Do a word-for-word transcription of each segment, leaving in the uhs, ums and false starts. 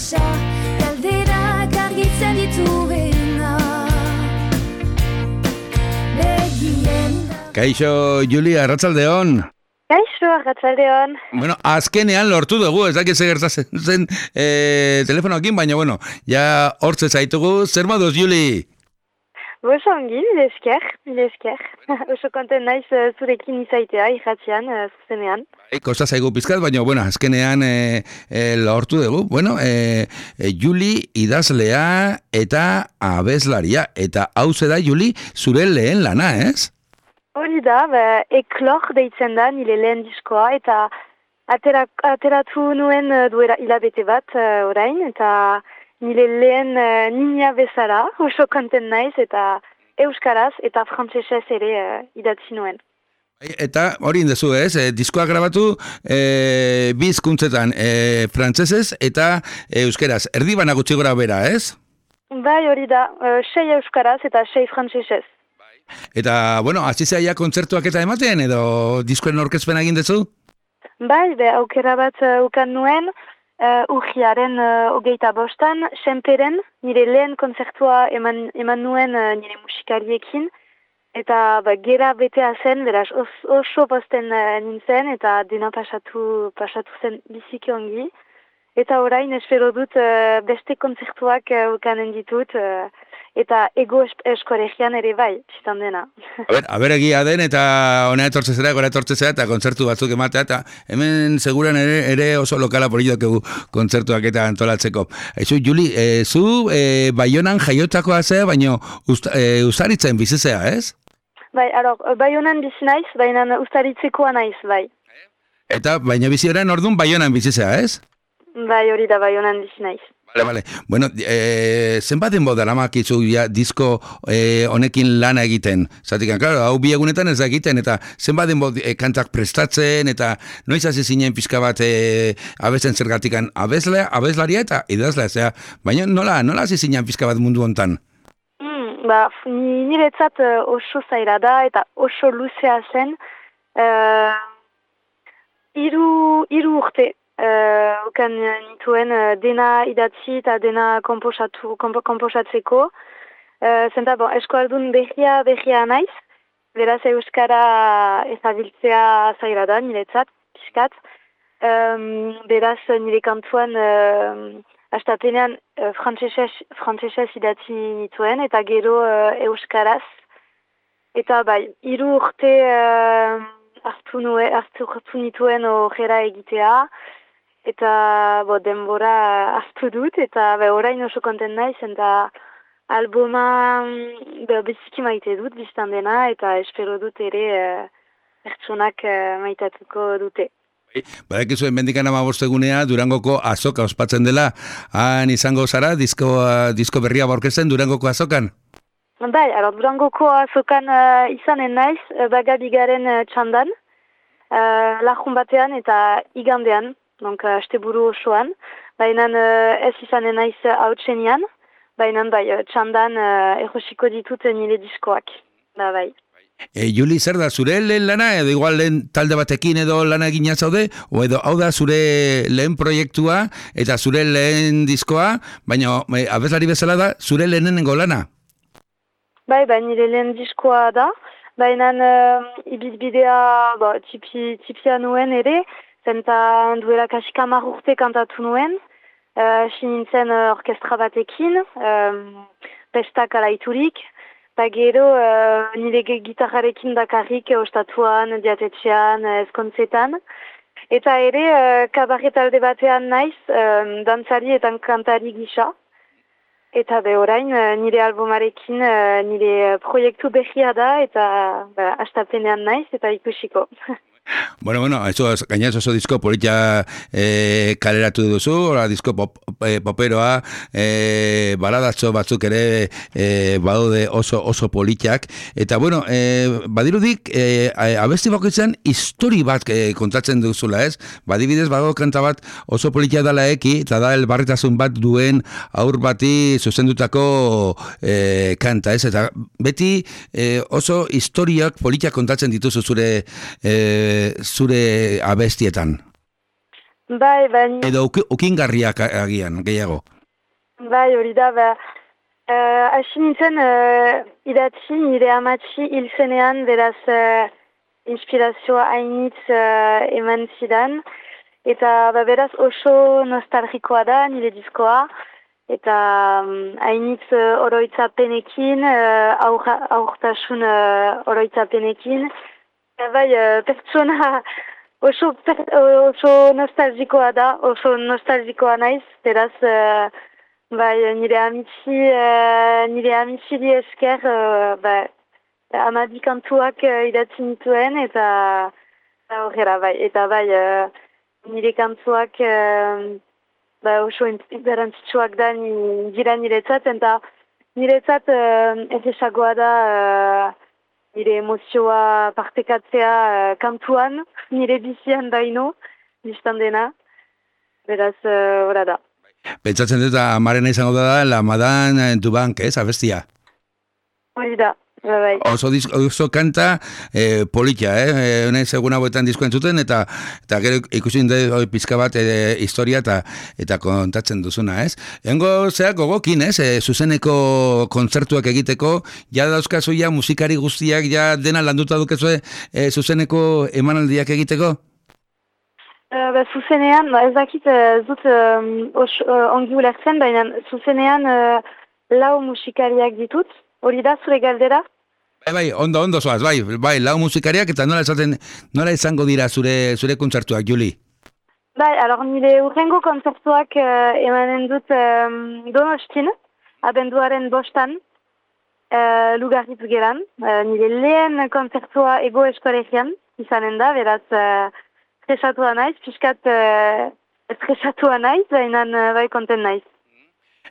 pasa, galderak argitzen dituena. Begien Kaixo, Julia, arratsaldeon. Kaixo, arratsaldeon. Bueno, azkenean lortu dugu, ez dakit zer gertatzen zen e, telefonoekin, baina bueno, ja hortze zaitugu, zer moduz, Juli? Oso ongi, mile esker, mile esker. Oso konten naiz uh, zurekin izaitea, irratian, uh, zuzenean. Bai, kosta zaigu pizkat, baina bueno, azkenean e, e, lortu dugu. Bueno, e, e, Juli idazlea eta abeslaria, eta hau da, Juli, zure lehen lana, ez? Hori da, ba, eklor deitzen da nire lehen diskoa, eta atera, ateratu nuen uh, duela hilabete bat uh, orain, eta nire lehen uh, nina bezala, oso konten naiz, eta euskaraz eta frantsesez ere uh, idatzi nuen. Eta hori indezu, ez? E, diskoa grabatu e, bi hizkuntzetan, e, frantsesez eta euskeraz. Erdi bana gutxi gora bera, ez? Bai, hori da, uh, sei euskaraz eta sei frantsesez. Eta, bueno, hasi zaia kontzertuak eta ematen, edo diskoen orkezpena egin dezu? Bai, be, aukera bat uh, ukan nuen, uh, urriaren uh, hogeita bostan, Senperen, nire lehen kontzertua eman, eman nuen uh, nire musikariekin, eta ba, gera betea zen, beraz os, oso posten uh, nintzen, eta dena pasatu, pasatu zen biziki ongi. Eta orain espero dut uh, beste kontzertuak uh, ukanen ditut, uh, eta ego eskoregian ere bai, txitan dena. A ber, a ber egia den, eta hona etortzezera, gora etortzezera, eta kontzertu batzuk ematea, eta hemen seguran ere, ere oso lokala porillo dugu kontzertuak eta antolatzeko. Eizu, Juli, e, zu e, Baionan jaiotakoa zea, baina e, Uzaritzen bizizea, ez? Bai, alor, Baionan bizi naiz, baina Uzaritzekoa naiz, bai. Eta, baina bizi orain orduan Baionan bizizea, ez? Bai, hori da Baionan bizi naiz. Vale, vale. Bueno, eh, zenbat denbo daramakizu ja disko eh, honekin lana egiten? Zatikan, claro, hau bi egunetan ez da egiten, eta zenbat denbo eh, kantak prestatzen, eta noiz hasi zinen pixka bat eh, abesten zergatikan abeslea, abeslaria eta idazlea, zera, baina nola, nola hasi zinen pixka bat mundu hontan? Mm, ba, niretzat uh, oso zaila da, eta oso luzea zen, uh, iru, iru urte. Uh, Okan nituen uh, dena idatzi eta dena komposatu, kompo, komposatzeko. Uh, Zenta, bon, eskualdun berria, berria naiz. Beraz, euskara ezabiltzea zaila da, niretzat, piskat. Um, beraz, nire kantuan, uh, astapenean, uh, frantsesez idatzi nituen, eta gero uh, euskaraz. Eta bai, hiru urte uh, hartu, nue, hartu, hartu nituen horrela egitea. Eta bo, denbora hartu dut, eta be, orain oso konten naiz, eta albuma be, biziki maite dut, biztan dena, eta espero dut ere uh, pertsonak uh, maitatuko dute. Badak izuen mendikan amabostegunea Durangoko azoka ospatzen dela, han izango zara, disko, uh, disko berria borkezen Durangoko azokan? Bai, alor, Durangoko azokan uh, izanen naiz, uh, bagabigaren uh, txandan, uh, lajun batean eta igandean. Donc, uh, asteburu osoan, baina uh, ez izanen naiz hautsenian, baina bai, txandan uh, erosiko ditut nire diskoak, da bai. E, Juli, zer da, zure lehen lana, edo igual lehen talde batekin edo lana egina zaude, o edo hau da zure lehen proiektua eta zure lehen diskoa, baina e, abeslari bezala da, zure lehenengo lana? Bai, bai, nire lehen diskoa da, baina uh, ibizbidea bo, tipi, tipia nuen ere, zenta duela kasik hamar urte kantatu nuen, hasi uh, nintzen uh, orkestra batekin, um, pestak alaiturik, eta gero uh, nire gitarrarekin bakarrik ostatuan, diatetxean, ezkontzetan. Eta ere, uh, kabaretalde batean naiz, um, dantzari eta kantari gisa. Eta be orain, uh, nire albumarekin, uh, nire proiektu berria da, eta uh, astapenean naiz, eta ikusiko. Bueno, bueno, eso, gainaz oso disko politia e, kaleratu duzu, ora disko pop, e, poperoa, e, baladatxo batzuk ere e, badaude oso oso politiak, eta bueno, e, badirudik, e, abesti bakoitzen histori bat e, kontatzen duzula, ez? Badibidez, badago kanta bat oso politia dala eki, eta da elbarritasun bat duen aur bati zuzendutako e, kanta, ez? Eta beti e, oso historiak politiak kontatzen dituzu zure e, zure abestietan. Bai, bai. Edo uki, ukingarriak agian, gehiago. Bai, hori da, ba. Hasi uh, nintzen uh, idatzi, nire amatxi hil zenean, beraz uh, inspirazioa hainitz uh, eman zidan. Eta ba, beraz oso nostalgikoa da nire diskoa. Eta um, hainitz uh, oroitzapenekin, uh, aur, aurtasun uh, oroitzapenekin. Eta bai, uh, pertsona oso, per, oso nostalgikoa da, oso nostalgikoa naiz. Beraz, uh, bai, nire amitzi, uh, nire amitziri esker, uh, bai, amabi kantuak uh, idatzi nituen, eta horrela, bai, eta bai, uh, nire kantuak uh, bai, oso garantzitsuak da dira niretzat, eta niretzat uh, erresagoa da uh, nire emozioa partekatzea uh, kantuan, nire bizian baino, biztan dena, beraz, horra uh, da. Pentsatzen dut, amarena izango da, la Madame du Banc, ez, abestia? Hori da, bai. Oso, oso kanta eh, politia, eh? Hone seguna boetan disko entzuten, eta, eta gero ikusin dut pizka bat eh, historia eta, eta kontatzen duzuna, ez? Hengo zeak gogokin, ez? Eh, zuzeneko kontzertuak egiteko, ja dauzkazu ja musikari guztiak, ja dena landuta dukezue eh, zuzeneko emanaldiak egiteko? Uh, ba, zuzenean, ba, ez dakit uh, zut um, os, uh, ongi ulertzen, baina zuzenean uh, lau musikariak ditut, hori da zure galdera? Bai, bai, ondo, ondo zoaz, bai, bai, lau musikariak eta nola esaten, nola izango dira zure, zure kontzertuak, Juli? Bai, alor, nire urrengo kontzertuak uh, emanen dut um, Donostin, abenduaren bostan, uh, Lugaritz geran, uh, nire lehen kontzertua Ego Eskolegian izanen da, beraz, uh, estresatua naiz, piskat uh, estresatua naiz, baina uh, bai konten naiz.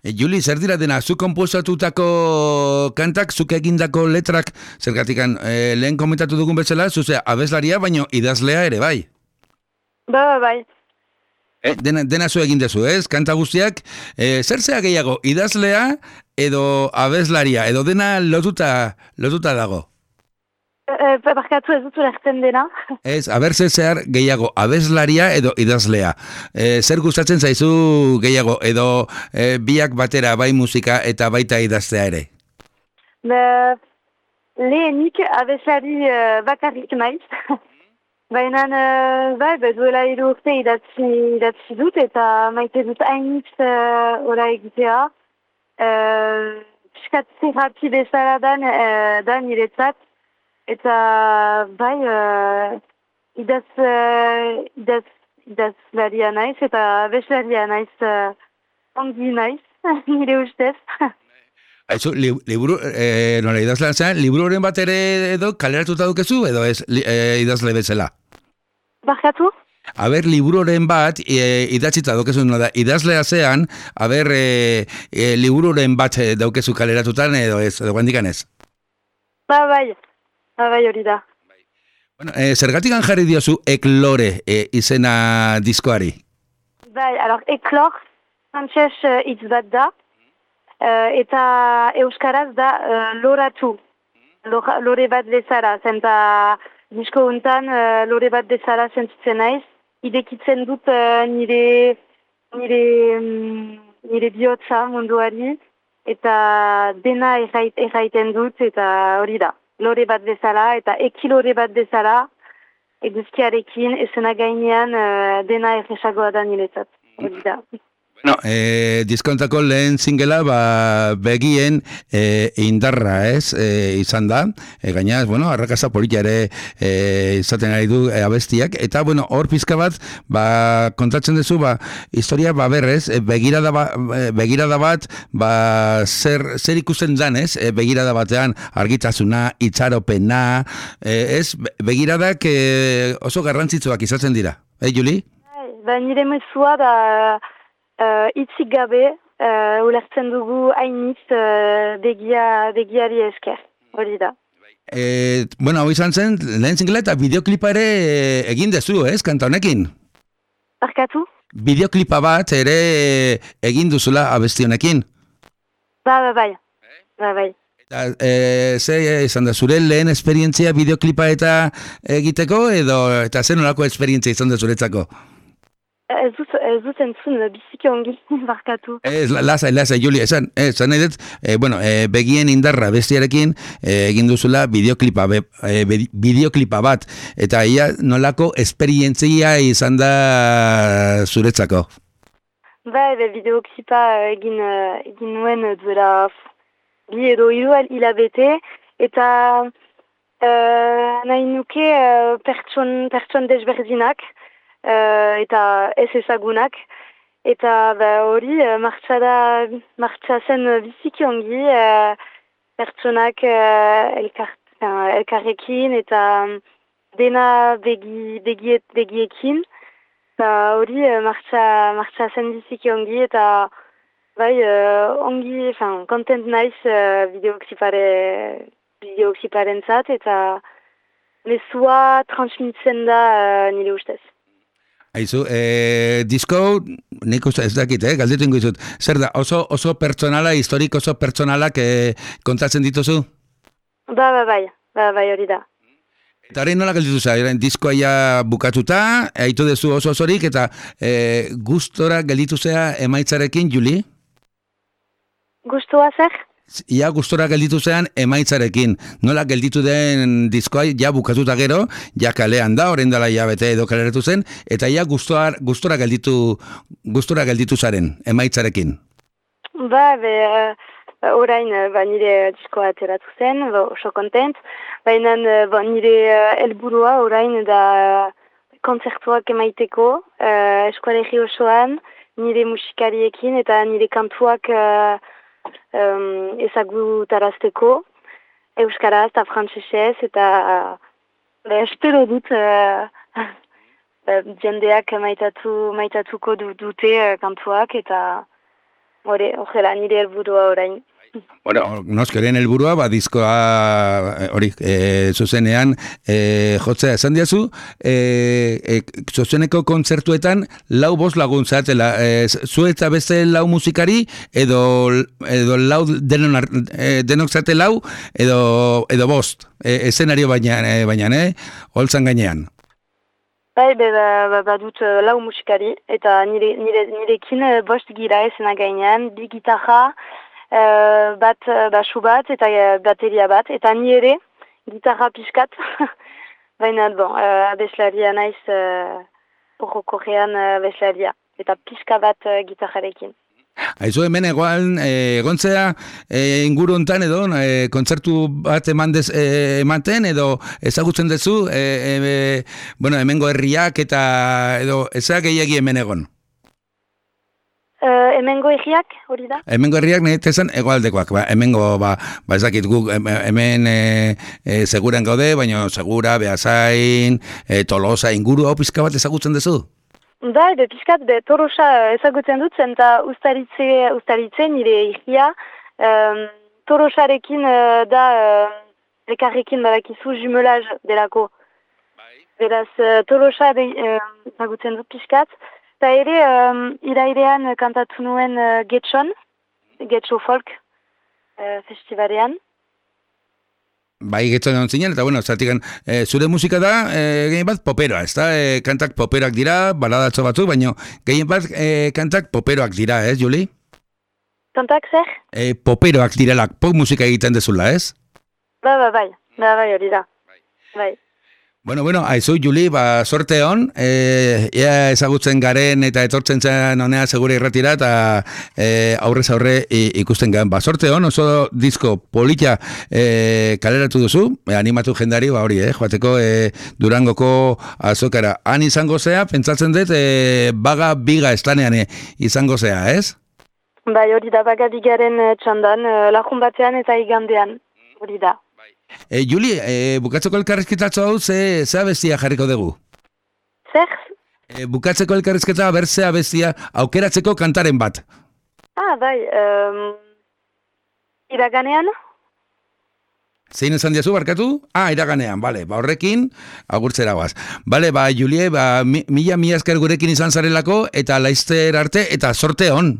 E, Juli, zer dira dena, zu konposatutako kantak, zuk egindako letrak, zergatikan, e, lehen komentatu dugun bezala, zuze abeslaria, baino idazlea ere, bai? Ba, ba, bai. E, dena, dena zu egin dezu, ez? Kanta guztiak, e, zer zea gehiago, idazlea edo abeslaria, edo dena lotuta, lotuta dago? E, barkatu ez dut ulertzen dena. Ez, abertze zehar gehiago abeslaria edo idazlea. E, zer gustatzen zaizu gehiago edo e, biak batera bai musika eta baita idaztea ere? Be, lehenik abeslari uh, bakarrik naiz. Baina uh, bai, duela hiru urte idatzi, idatzi dut eta maite dut hainitz uh, ora egitea. Uh, Piskat zerrapi bezala dan, uh, da niretzat. Eta bai, uh, idaz, uh, idaz, idazlaria naiz, eta abeslaria naiz, uh, ongi naiz, nire ustez. Aizu, li, liburu, e, nola idazlean zen, libururen bat ere edo kaleratuta dukezu, edo ez li, e, idazle bezala? Barkatu? Aber, libururen bat e, idatzita dukezu, nola, idazlea zean, aber, e, e, libururen bat daukezu kaleratutan, edo ez, edo guandikan ez? Ba, bai. Ba, bai, hori da. Bueno, e, zergatikan jarri diozu Eklore e, izena diskoari? Bai, alor, Eklor, frantses uh, hitz bat da, uh, eta euskaraz da uh, loratu, Lora, lore bat bezala, zenta disko untan uh, lore bat bezala sentitzen naiz, idekitzen dut uh, nire, nire, um, nire bihotza munduari, eta dena errait, erraiten dut, eta hori da. Lore bat bezala, eta ekilore bat bezala, eguzkiarekin, esena gainean uh, dena erresagoa da niretzat. Hori da. Bueno, e, diskontako lehen zingela, ba, begien e, indarra, ez, e, izan da, e, gainaz, bueno, arrakasta politia ere e, izaten ari du e, abestiak, eta, bueno, hor pizka bat, ba, kontatzen duzu, ba, historia, ba, berrez, e, begirada, ba, begirada bat, ba, zer, zer ikusten dan, ez, e, begirada batean, argitasuna, itxaropena, e, ez, begiradak e, oso garrantzitsuak izaten dira, eh, Juli? Ba, nire mezua da, Uh, itzik gabe, uh, ulertzen dugu hainitz uh, begia, begiari esker, hori da. E, bueno, hau izan zen, lehen zingela eta bideoklipa ere egin dezu, ez, kanta honekin? Barkatu? Bideoklipa bat ere egin duzula abesti honekin? Ba, ba, bai. Ba, bai. Eta, e, ze izan da, zure lehen esperientzia bideoklipa eta egiteko, edo, eta zen nolako esperientzia izan da zuretzako? Ez dut, ez dut entzun, biziki ongi, barkatu. Ez, lasai, lasai, Juli, esan, esan nahi dut, e, bueno, e, begien indarra bestiarekin e, egin duzula bideoklipa, be, e, bideoklipa bat, eta ia nolako esperientzia izan da zuretzako? Ba, ebe, bideoklipa egin, egin nuen duela bi edo hiru hilabete, eta uh, nahi nuke uh, pertson, pertson desberdinak, Uh, eta ez ezagunak, eta hori uh, martxa da, martxa zen biziki ongi, uh, pertsonak uh, elkar, uh, elkarrekin, eta dena begi, begiet, begiekin, eta hori uh, martxa, martxa zen biziki ongi, eta bai, uh, ongi, enfin, content naiz uh, bideoklipare, bideokliparen zat, eta mezua transmitzen da uh, nire ustez. Aizu, e, disko, nik uste ez dakit, eh, galdetu ingo izut. Zer da, oso, oso pertsonala, historik oso pertsonalak e, kontatzen dituzu? Ba, ba, bai, ba, bai hori da. Eta hori nola galditu za, diskoa ja bukatuta, haitu dezu oso osorik, eta e, gustora gelditu zea emaitzarekin, Juli? Gustua zer? Ia gustora gelditu zean emaitzarekin. Nola gelditu den diskoa ja bukatuta gero, ja kalean da, orain dela ja bete edo kaleratu zen, eta ja gustora, gustora gelditu gustora gelditu zaren emaitzarekin. Ba, be, uh, orain ba, nire diskoa ateratu zen, ba, oso kontent, baina ba, nire uh, helburua orain da uh, kontzertuak emaiteko, uh, eskualegi osoan, nire musikariekin eta nire kantuak uh, Um, ezagutarazteko euskaraz eta frantsesez, eta uh, espero dut uh, uh, jendeak maitatu, maitatuko dute uh, kantuak, eta horrela nire helburua orain. Bueno, noskeren helburua, ba, diskoa hori, e, zuzenean e, jotzea esan diazu, e, e, zuzeneko kontzertuetan lau bost lagun zatela, e, zu eta beste lau musikari, edo, edo lau denon, e, denok zate lau, edo, edo bost, e, eszenario baina, e, baina, eh? Holtzan gainean. Bai, be, ba, ba, ba dut uh, lau musikari, eta nire, nire, nirekin uh, bost gira ezena gainean, bi gitarra, Uh, bat uh, basu bat eta uh, bateria bat, eta ni ere gitarra pixkat, baina bon, uh, abeslaria naiz uh, horrokorrean uh, abeslaria, eta pixka bat uh, gitarrarekin. Aizu hemen egoan egontzea e, inguru hontan edo e, kontzertu bat eman dez, e, ematen edo ezagutzen duzu e, e, bueno, hemengo herriak eta edo ezak gehiagi hemen egon? Uh, hemengo herriak, hori da? Hemengo herriak nahi tezan egoaldekoak, ba, hemengo, ba, ba ezakit guk, hemen e, e, seguran gaude, baina segura, Beasain, e, Tolosa, inguru hau pizka bat ezagutzen duzu? Da, be, pizkat, be, Tolosa ezagutzen dut zen, eta ustaritze, ustaritze nire herria, um, Tolosarekin uh, da, uh, elkarrekin badakizu jumelaj delako. Beraz, uh, Tolosa uh, ezagutzen dut pizkat. Eta ere, um, irairean kantatu nuen uh, Getxon, Getxo Folk uh, festivalean. Bai, Getxon egon zinen, eta bueno, zatikan, e, zure musika da, e, gehien bat poperoa, ez da? E, kantak poperoak dira, baladatxo batzuk, baina gehien bat e, kantak poperoak dira, ez, Juli? Kantak zer? E, poperoak direlak, pop musika egiten dezula, ez? Ba, ba, bai, ba, bai, hori da, bai. Bueno, bueno, aizu, Juli, ba, sorte hon, e, ea ezagutzen garen eta etortzen zen honea segure irratira, eta e, aurrez aurre ikusten garen. Ba, sorte hon, oso disko polita e, kaleratu duzu, e, animatu jendari, ba, hori, eh, joateko e, Durangoko azokara. Han izango zea, pentsatzen dut, e, baga biga estanean e, izango zea, ez? Bai, hori da, baga bigaren txandan, lajun batean eta igandean, hori da. E, Juli, e, bukatzeko elkarrizketatzo hau, ze, ze abestia jarriko dugu? Zer? E, bukatzeko elkarrizketa berze abestia aukeratzeko kantaren bat. Ah, bai, um, iraganean? Zein esan diazu, barkatu? Ah, iraganean, bale, ba horrekin, agurtzera guaz. Bale, ba, Julie, ba, mi, mila mila esker gurekin izan zarelako, eta laizter arte, eta sorte hon.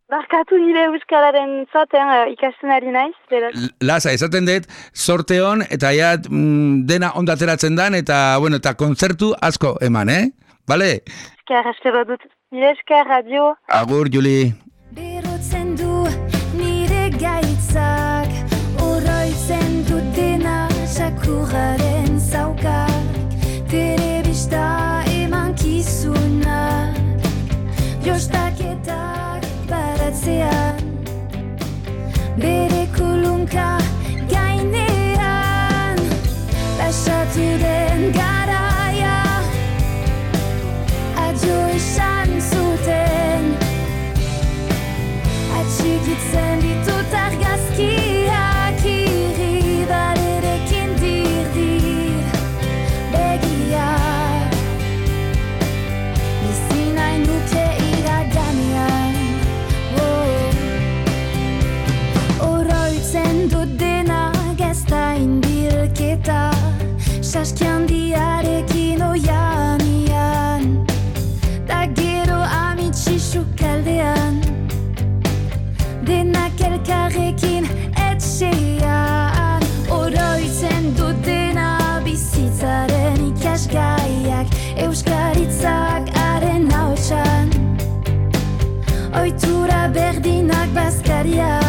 Barkatu nire euskararen zaten uh, ikasten ari naiz. Beraz. Laza, esaten dut, sorte hon, eta ja mm, dena ondateratzen dan, eta, bueno, eta kontzertu asko eman, eh? bale? Esker, espero dut. Mila esker, radio. Agur, Juli. Berotzen du nire gaitzak, oroitzen du dena sakurraren zaukak, telebista emankizunak, jostaketak baratzean, bere kulunka gainean, pasatu den garaia, adio esan zuten, atxikitzen ditut argazkiak irribarerekin dirdir begiak, bizi nahi nuke iraganean, oh. Oroitzen dut dena gazta inbilketa, saskian diarekin oian ian, da gero amitxixu kaldean, denak elkarrekin etxean, oroitzen dut dena bizitzaren ikasgaiak, euskaritzak haren hautsan, oitura berdinak bazkariak.